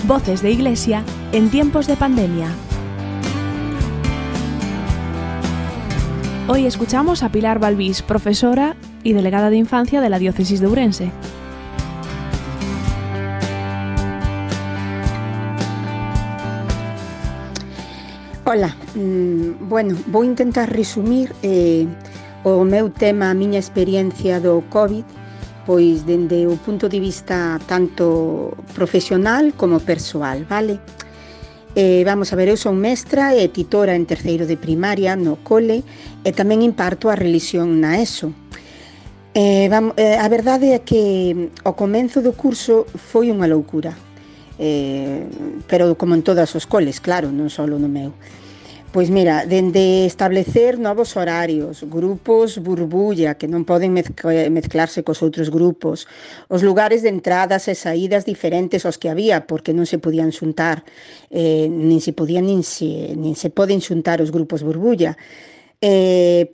Voces de Iglesia en tiempos de pandemia. Hoy escuchamos a Pilar Balbís, profesora y delegada de infancia de la Diócesis de Ourense. Ola, vou intentar resumir o meu tema, a miña experiencia do COVID, pois dende o punto de vista tanto profesional como persoal, vale? Vamos a ver, eu son mestra e titora en terceiro de primaria no cole e tamén imparto a relixión na ESO. A verdade é que o comenzo do curso foi unha loucura, pero como en todos os coles, claro, non só no meu. Pois mira, dende establecer novos horarios, grupos burbulla que non poden mezclarse cos outros grupos, os lugares de entradas e saídas diferentes aos que había, porque non se podían xuntar, nin se poden xuntar os grupos burbulla.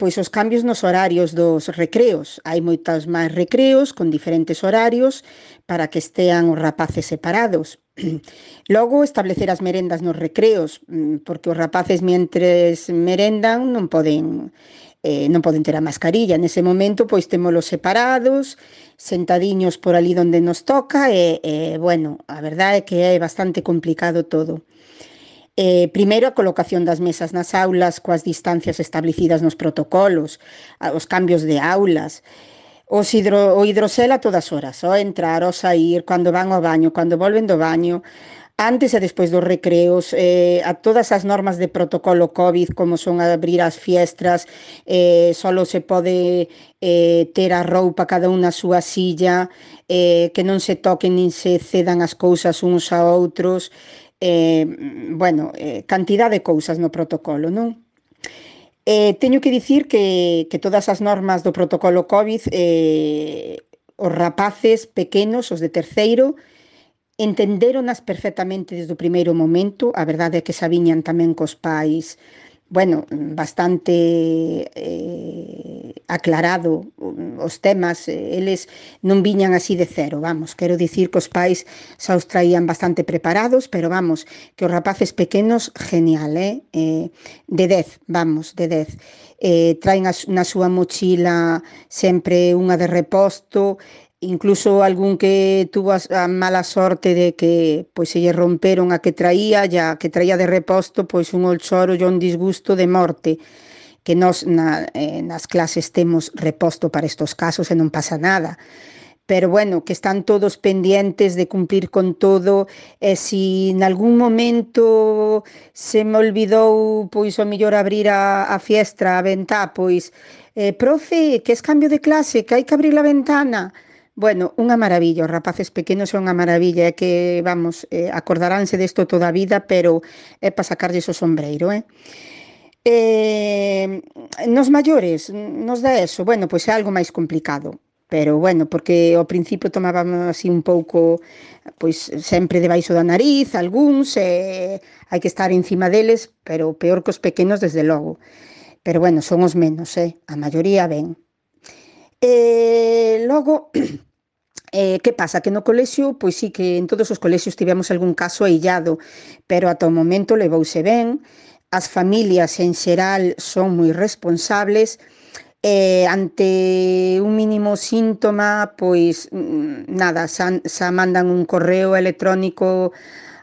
Pois os cambios nos horarios dos recreos. Hai moitas máis recreos con diferentes horarios para que estean os rapaces separados. Logo, establecer as merendas nos recreos, porque os rapaces mentres merendan non poden ter a mascarilla. Nese momento, pois, témolos separados, sentadiños por ali onde nos toca bueno, a verdade é que é bastante complicado todo. Primeiro, a colocación das mesas nas aulas coas distancias establecidas nos protocolos, os cambios de aulas, o hidrosel a todas horas, ao entrar, ao sair, cando van ao baño, cando volven do baño, antes e despois dos recreos, a todas as normas de protocolo COVID, como son abrir as fiestras, solo se pode ter a roupa cada unha a súa silla, que non se toquen nin se cedan as cousas uns a outros, cantidad de cousas no protocolo, non? Teño que dicir que todas as normas do protocolo COVID, os rapaces pequenos, os de terceiro, entendéronas perfectamente desde o primeiro momento. A verdade é que sabiñan tamén cos pais, bastante aclarado os temas, eles non viñan así de cero, quero dicir que os pais xa os traían bastante preparados, pero que os rapaces pequenos, genial, de 10, de 10. Traen na súa mochila sempre unha de reposto, incluso algún que tuvo a mala sorte de que pois se lle romperon a que traía de reposto, pois un choro e un disgusto de morte, que nós nas clases temos reposto para estos casos e non pasa nada. Pero bueno, que están todos pendientes de cumplir con todo, e se en algún momento se me olvidou, pois o mellor abrir a fiestra, a ventá, pois profe, que es cambio de clase, que hai que abrir a ventana. Bueno, unha maravilla, os rapaces pequenos son unha maravilla, é que, acordaránse desto toda a vida, pero é para sacarlles o sombreiro, Nos maiores, nos da eso, pois é algo máis complicado, pero porque ao principio tomábamos así un pouco, pois sempre debaixo da nariz, algúns, hai que estar encima deles, pero peor que os pequenos desde logo, pero son os menos, a maioría ben. Logo, que pasa? Que no colexio, pois sí que en todos os colexios tivemos algún caso aillado, pero ata o momento levouse ben, as familias en xeral son moi responsables, ante un mínimo síntoma, pois nada, xa mandan un correo electrónico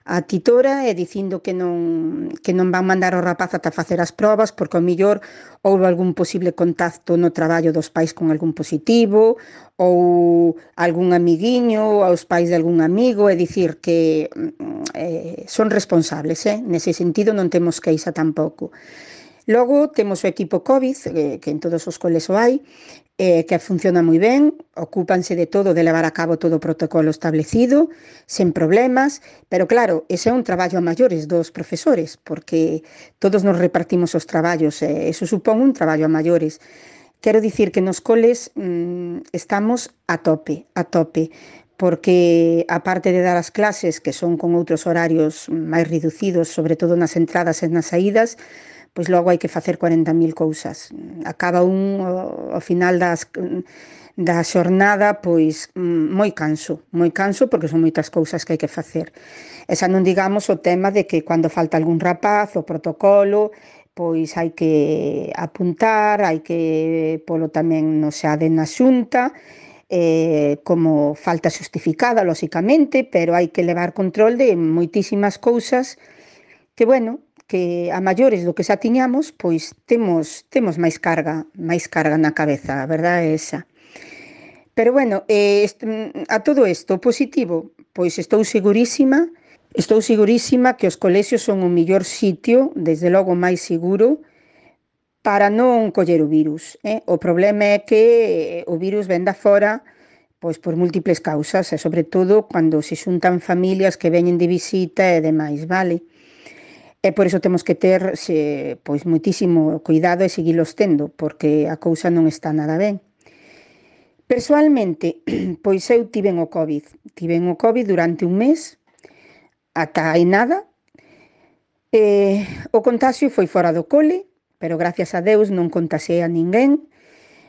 a titora dicindo que non van mandar o rapaz ata facer as probas, porque ao mellor houve algún posible contacto no traballo dos pais con algún positivo, ou algún amiguiño, aos pais de algún amigo, é dicir que son responsables, nese sentido non temos queixa tampouco. Logo temos o equipo COVID, que en todos os coles o hai, que funciona moi ben, ocúpanse de todo, de levar a cabo todo o protocolo establecido, sen problemas, pero claro, ese é un traballo a maiores dos profesores, porque todos nos repartimos os traballos, eso supón un traballo a maiores. Quero dicir que nos coles estamos a tope, porque aparte de dar as clases, que son con outros horarios máis reducidos, sobre todo nas entradas e nas saídas, pois logo hai que facer 40.000 cousas. Acaba ao final da xornada, pois moi canso porque son moitas cousas que hai que facer. E xa non digamos o tema de que cando falta algún rapaz, o protocolo, pois hai que apuntar, hai que polo tamén no xade na xunta, como falta xustificada, lóxicamente, pero hai que levar control de moitísimas cousas que, bueno, que a maiores do que xa tiñamos, pois temos máis carga na cabeza, a verdade é esa. Pero bueno, a todo isto, positivo, pois estou segurísima que os colexios son o mellor sitio, desde logo máis seguro, para non coller o virus, eh? O problema é que o virus ven da fora, pois por múltiples causas, e sobre todo cando se xuntan familias que veñen de visita e demais, vale? E por iso temos que ter pois moitísimo cuidado e seguilos tendo, porque a cousa non está nada ben. Persoalmente, pois eu tiven o COVID. Tiven o COVID durante un mes, ata hai nada. O contagio foi fora do cole, pero gracias a Deus non contaxei a ninguén,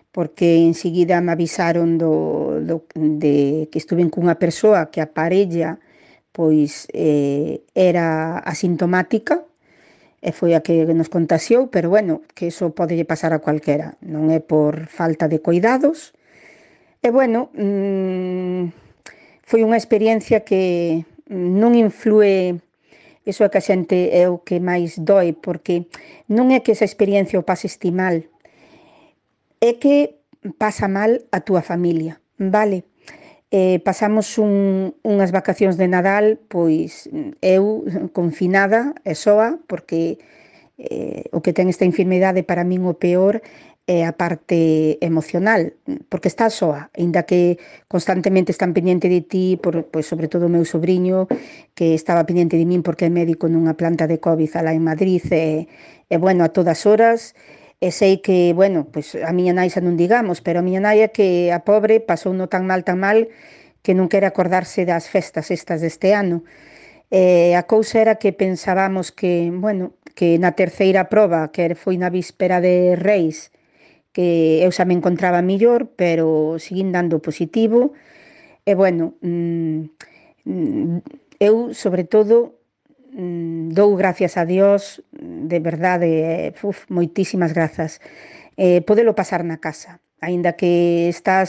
porque enseguida me avisaron de que estuven cunha persoa que a parella pois era asintomática, e foi a que nos contaxiou, pero bueno, que iso podelle pasar a cualquera, non é por falta de cuidados. E bueno, foi unha experiencia que non inflúe, iso é que a xente é o que máis doe, porque non é que esa experiencia o pases ti mal, é que pasa mal a túa familia, vale? Pasamos unhas vacacións de Nadal, pois eu confinada e soa, porque o que ten esta enfermidade para min o peor é a parte emocional, porque estás soa, aínda que constantemente están pendiente de ti, pois sobre todo o meu sobrinho, que estaba pendiente de min porque é médico nunha planta de COVID alá en Madrid, e bueno, a todas horas, e sei que, bueno, pois a miña nai xa non digamos, pero a miña nai é que a pobre pasou no tan mal, que non quere acordarse das festas estas deste ano. A cousa era que pensábamos que, bueno, que na terceira proba, que foi na víspera de Reis, que eu xa me encontraba mellor, pero seguín dando positivo. E bueno, eu sobre todo dou gracias a Dios, de verdade, moitísimas grazas. Podelo pasar na casa, aínda que estás